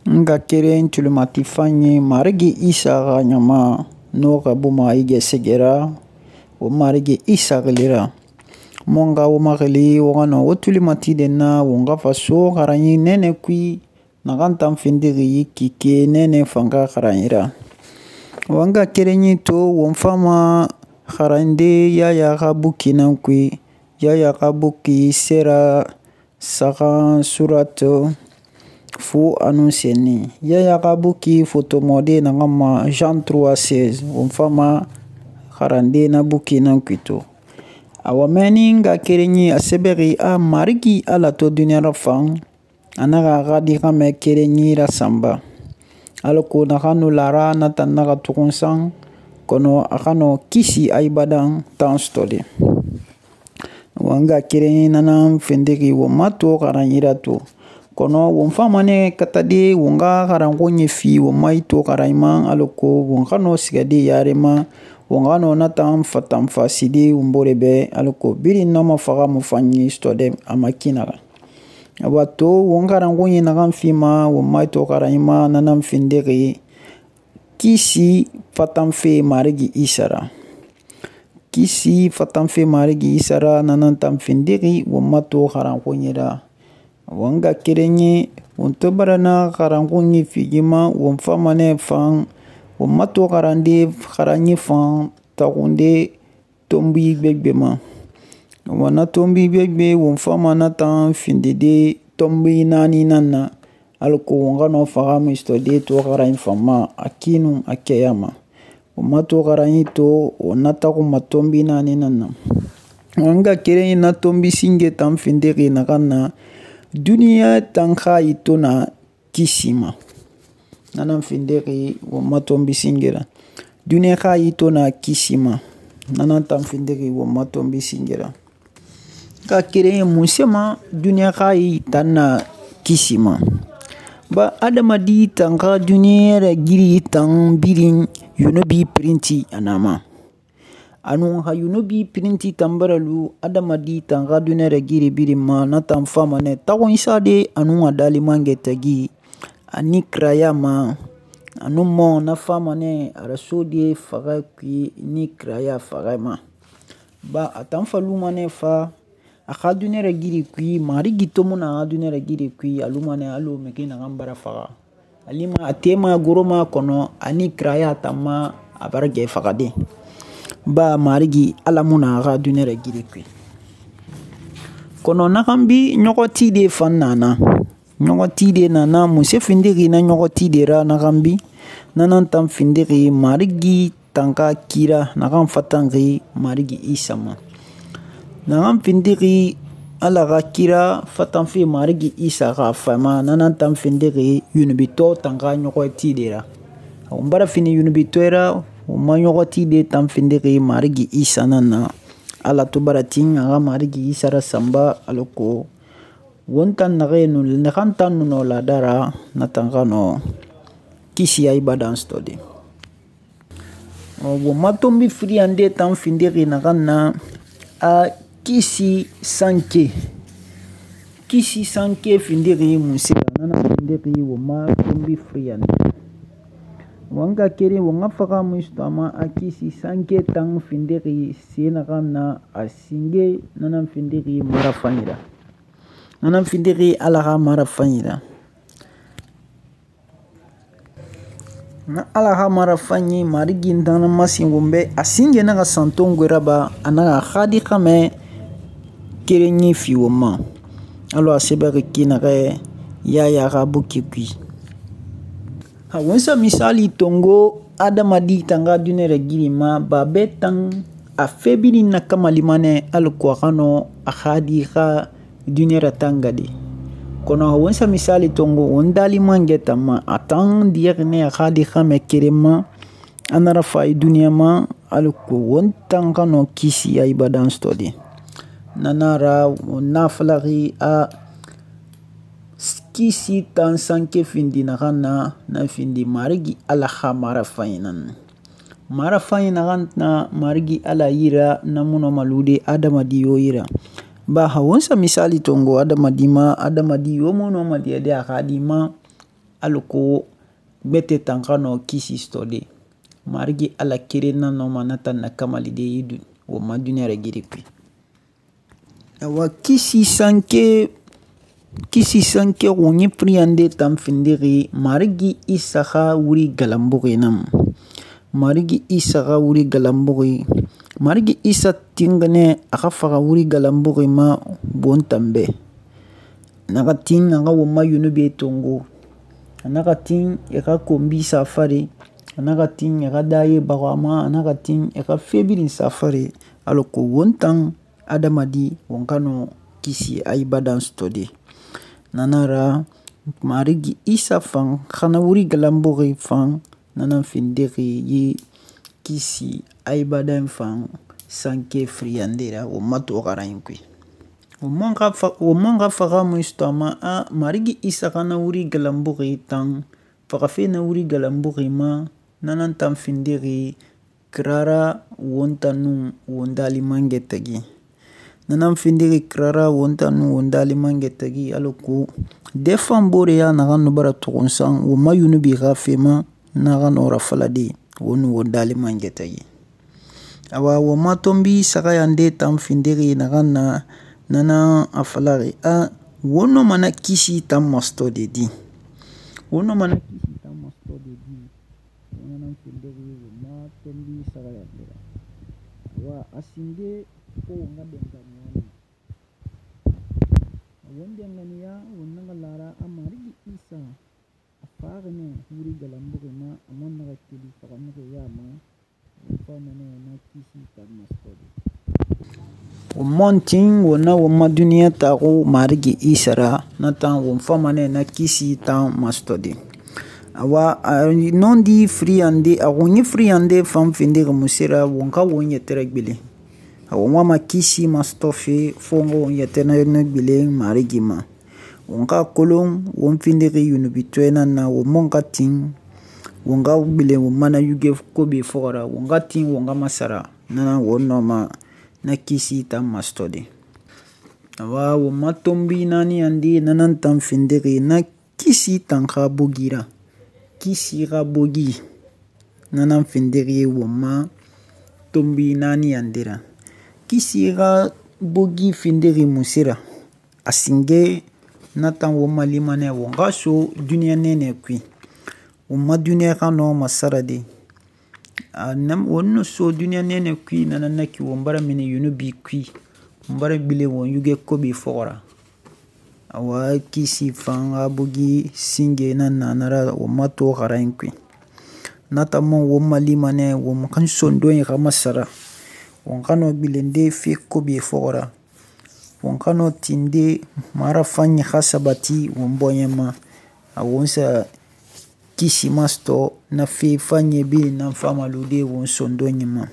Nga keren tulimati fanyi Marigi Isa xa ɲama n'o xa buma i gesege ra, wo Marigi Isa xili ra. Mon xa wo maxili wo xa nɔ wo tulimatiden na won xa fa so xaranyi nɛnɛ kui naxan tan findixi kike nɛnɛ fan xa xaranyi ra. Wo nga kerenyi to won fama xarande Yaya xa buki nan kui. Yaya xa buki sera saxan surato fu a nun senni. Yaya xa buki fotomɔde naxan ma Jean 3:16 won fama xarande na buki nan kui to. Awa mɛnni nga kerenyi a sɛbɛxi a Marigi Ala to duniɲa rafan a naxa a xa di xɛmɛ kerenyi rasanba. Alako naxan nu lara na tan naxa tuxun san kɔnɔ a xa nɔ kisi a ibadan tan sɔtɔde. Wa nga kerenyi nanan findixi won ma to xaranyi ra to. Kɔnɔ won fama nɛ katade won xa xaranxo ɲɛfi won ma i to xaranyi ma alako won xa nɔ sigade yare ma, won xa nɔ na tan fatanfaside won bore bɛ alako birin na ma faxamu fanyi sɔtɔdɛ a ma ki naxa. Awa to won xaranxoɲe naxan fima won ma i to xaranyi ma nanan findixi kisi fatanfe Marigi Isa ra. Kisi fatanfe Marigi Isa ra nanan tan findixi won ma to xaranxoɲe ra. Wa nga kerenyi won to bara na xaranxo ɲɛfigi ma won fama nɛ fan won ma to xaranyi fan taxunde tonbi gbegbe ma. Wa na tonbi gbegbe won fama na tan findide tonbi naani nan na alako won xa nɔ faxamu sɔtɔde to xaranyi fan ma a ki nun a kɛya ma. Won ma to xaranyi to won na taxunma tonbi naani nan na. Wa nga kerenyi na tonbi singe tan findixi naxan na duniɲa tan xa i to na kisi ma. Nanan findixi won ma tonbi singe ra. Duniɲa xa i to na kisi ma. Nanan tan findixi won ma tonbi singe ra. Nga kerenyi munse ma duniɲa xa i tan na kisi ma? Ba adamadi tan xa duniɲa ragiri tan birin yunubi pirinti a na ma. A nun xa yunubi pirinti tan bara lu adamadi tan xa duniɲa ragiri birin ma na tan fama nɛ taxuɲisade a nun a dalimangɛ tagi ani kiraya ma a nun mɔ na fama nɛ a rasode faxɛ kui ni kiraya faxɛ ma. Ba a tan fa luma nɛ fa a xa duniɲa ragiri kui Marigi to mu na a xa duniɲa ragiri kui a luma nɛ alɔ mixi naxan bara faxa. A lima a tema goroma kɔnɔ ani kiraya tan ma a bara gɛ faxade. Ba Marigi Ala mu na a xa duniɲa ragiri kui. Kɔnɔ naxan bi ɲɔxɔtide fan nana. Ɲɔxɔtide nana munse findixi na ɲɔxɔtide ra naxan bi nanan tan findixi Marigi tan xa kira naxan fatanxi Marigi Isa ma. Naxan findixi Ala xa kira fatanfe Marigi Isa xa fama nanan tan findixi yunubitɔ tan xa ɲɔxɔtide ra. Won bara fini yunubitɔ ra won ma ɲɔxɔtide tan findixi Marigi Isa nan na. Ala to bara tin a xa Marigi Isa rasanba alako won tan naxan tan nu nɔ lada ra na tan xa nɔ kisi a ibadan sɔtɔde. Won ma tonbi firiyande tan findixi naxan na a kisi sanke. Kisi sanke findixi munse ra nanan findixi won ma tonbi firiyande. Wa nga keren won xa faxamu sɔtɔ a ma a kisi sanke tan findixi se naxan na a singe nanan findixi marafanyi ra. Nanan findixi Ala xa marafanyi ra. Na Ala xa marafanyi Marigi nanan masen won bɛ a singe naxa san tongoe raba a naxa a xa di xɛmɛ kerenyi fi won ma. Alɔ a sɛbɛxi ki naxɛ Yaya xa buki kui. Won sa misali tongo adamadi tan xa duniɲa ragiri ma ba bɛ tan a fɛ birin na kamalima nɛ alako a xa nɔ a xa di xa duniɲa ratangade. Kɔnɔ won sa misali tongo won dalimangɛ tan ma a tan diyɛxi nɛ a xa di xɛmɛ keren ma a na rafa i duniɲa ma alako won tan xa nɔ kisi a ibadan sɔtɔde. Nana ra won na falaxi a kisi tan sanke findi naxan na findi Marigi Ala xa marafanyi nan. Marafanyi naxan na Marigi Ala yira na mu nɔ malude adamadi yo yira. Ba won sa misali tongo adamadi ma adamadi yo mu nɔ maliyɛde a xa di ma alako gbete tan xa nɔ kisi sɔtɔde. Marigi Ala keren nan nɔma na tan nakamalide yi won ma duniya ragiri kui. Awa kisi sanke xunyi firiyande tan findixi Marigi Isa xa wuri galanbuxi nan. Marigi Isa xa wuri galanbuxi, Marigi Isa tinxinɛ a xa faxa wuri galanbuxi ma bon tanbɛ. Naxa tin a xa won ma yunube tongo, a naxa tin e xa konbi safare, a naxa tin e xa daye baxu a ma, a naxa tin e xa fe birin safare alako won tan adamadi won xa nɔ kisi a ibadan sɔtɔde. Na nan ra Marigi Isa fan xana wuri galanbuxi fan nanan findixi yi kisi a ibadan fan sanke firiyande ra won ma to xaran kui. Won man xa faxamu sɔtɔ a ma Marigi Isa xana wuri galanbuxi tan faxafe na wuri galanbuxi ma nanan tan findixi kirara won tan nun won dalimangɛ tagi. Nanan findixi kirara won tan nun won dalimangɛ tagi alako dɛ fan boreya naxan nu bara tuxunsan won ma yunubi xa fe ma na xa nɔ rafalade won nun won dalimangɛ tagi. Awa won ma tɔnbi saxayande tan findixi naxan na nanan a falaxi won nɔma na kisi tan masɔtɔde di. Won nɔma na kisi tan masɔtɔde di. Nanan findixi won ma tɔnbi saxayande ra. Awa a sinde ko won xa dɛnganiya ne. Won dɛnganiya won naxa lara Marigi Isa a faxi nɛ wuri galanbuxi ma a man naxa keli faxamixi ya ma won fama nɛ na kisi tan masɔtɔde. Won man tin won na won ma duniya taxu Marigi Isa ra na tan won fama nɛ na kisi tan masɔtɔde. Awa a nɔndi firiyande a xunyi firiyande fan findixi munse ra won xa won yɛtɛ ragbilen. A won wama kisi masɔtɔ fe fo won xa won yɛtɛ ragbilen Marigi ma. Won xa kolon won findixi yunubitɔɛ nan na won man xa tin won xa gbilen won ma na yuge kobe fɔxɔra, won xa tin won xa masara nanan won nɔma na kisi tan masɔtɔde. Awa won ma tɔnbi naaniyande nanan tan findixi na kisi tan xa bogira. Kisi xa bogi nanan findixi won ma tɔnbi naaniyande ra. Kisi xa bogi findixi munse ra? A singe na tan won ma limanɛ won xa so duniya nɛnɛ kui. Won ma duniya xa nɔ masarade. Won nu so duniya nɛnɛ kui nanan na ki won bara mini yunubi kui. Won bara gbilen won yuge kobe fɔxɔra. Awa kisi fan xa bogi singe nan na nara won ma to xaran kui. Na tan man won ma limanɛ won kan sondon xa masara. Won xa nɔ gbilende fe kobe fɔxɔra. Won xa nɔ tinde marafanyi xa sabati won bɔɲɛ ma. A won sa kisi masɔtɔ na fe fanyi birin nan famalude won sondon ma.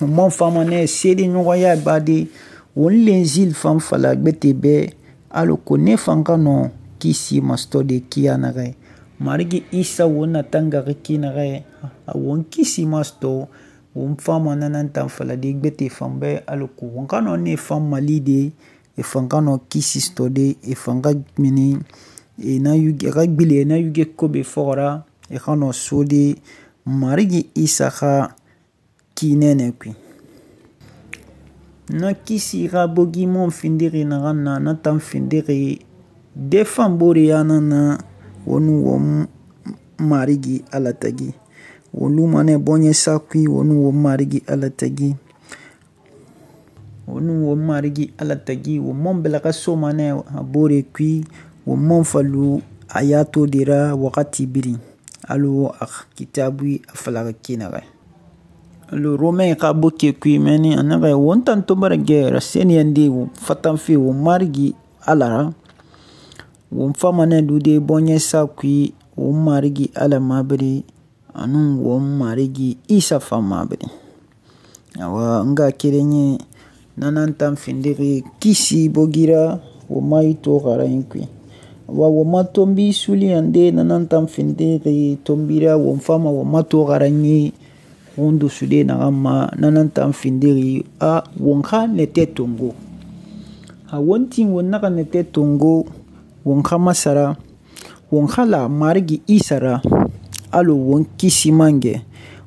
Won man fama nɛ seedeɲɔgɔnya bade won lenzil fan fala gbete bɛ alako ne fan xa nɔ kisi masɔtɔde kiya naxɛ. Marigi Isa won na tangaxi ki naxɛ a won kisi masɔtɔ won fama nanan tan falade gbete fan bɛ alako won xa nɔ ne fan malide e fan xa nɔ kisi sɔtɔde e fan xa mini e xa gbilen na yuge kobe fɔxɔra e xa nɔ sode Marigi Isa xa ki nɛnɛ kui. Na kisi xa bogi mon findixi naxan na tan findixi dɛ fan boreya nan na won nun won Marigi Ala tagi. Won luma nɛ bɔɲɛ sa kui won nun won Marigi Ala tagi. Won nun won Marigi Ala tagi won man bɛlɛxɛ soma nɛ a bore kui won man falu a ya to de ra waxati birin alo a kitabui a falaxi ki naxɛ. Alo Romain xa boke kui mɛni a naxɛ won tan to bara gɛ raseniyande won fatanfe won Marigi Ala ra. Won fama nɛ lude bɔɲɛ sa kui won Marigi Ala mabiri anun won Marigi Isa fan mabiri. Awa nga kerenye nanan tan findixi kisi bogira won ma yi to xaran kui. Awa won ma tɔnbi suliyande nanan tan findixi tɔnbira won fama won ma to xaran ye won dosude naxan ma nanan tan findixi won xa nɛtɛ tongo. A won tin won naxa nɛtɛ tongo won xa masara won xa la Marigi Isa ra alɔ won kisi mangɛ.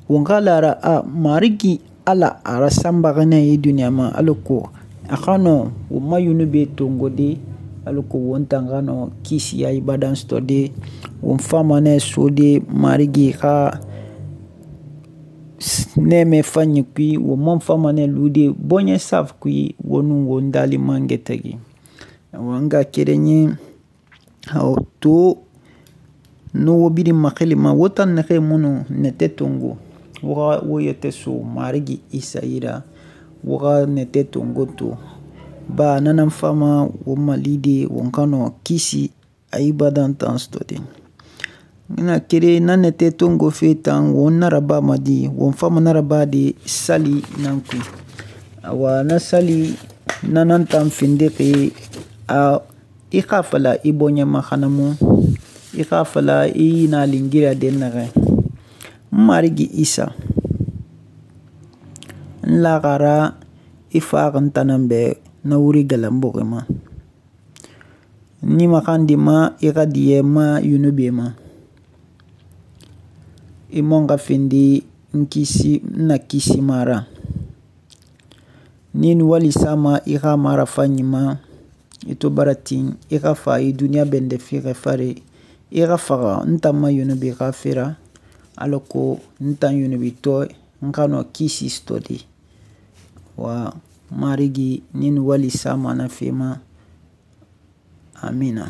Won xa la a ra Marigi Ala a rasanbaxi nɛ yi duniɲa ma alako a xa nɔ won ma yunube tongode, alako won tan xa nɔ kisiya ibadan sɔtɔde. Won fama nɛ sode Marigi xa nɛɛmɛ fanyi kui, won man fama nɛ lude bɔɲɛ safi kui won nun won dali mangɛ tagi. N ngaxakerenyi to no wo birin maxilima wo tan naxɛ munnu nɛtɛ tongo, wo xa wo yɛtɛ so Marigi Isa yi ra, wo xa nɛtɛ tongo to. Ba na nan fama won malide won xa nɔ kisi a ibadan tan sɔtɔde. Ina kere na nɛtɛ tongo fe tan won na rabama di, won fama na raba de sali nan kui. Awa na sali na nan tan findixi i xa fala i bɔɲɛ ma xanamu, i xa fala i na lingira dɛnnaxɛ. Marigi Isa n laxara i faxi n tanan bɛ na wuri galanbuxi ma. Ni maxandi ma i xa diɲɛ ma yunube ma. I man xa findi n na kisi ma ra. Ni wali sama i xa marafanyi ma, i to bara tin i xa fa i duniɲa bɛndɛ fiixɛ fare, i xa faxa n tan ma yunube xa fera, alako n tan yunubitɔ n xa nɔ kisi sɔtɔde. Wa Marigi ni wali sama na fe ma. Amina.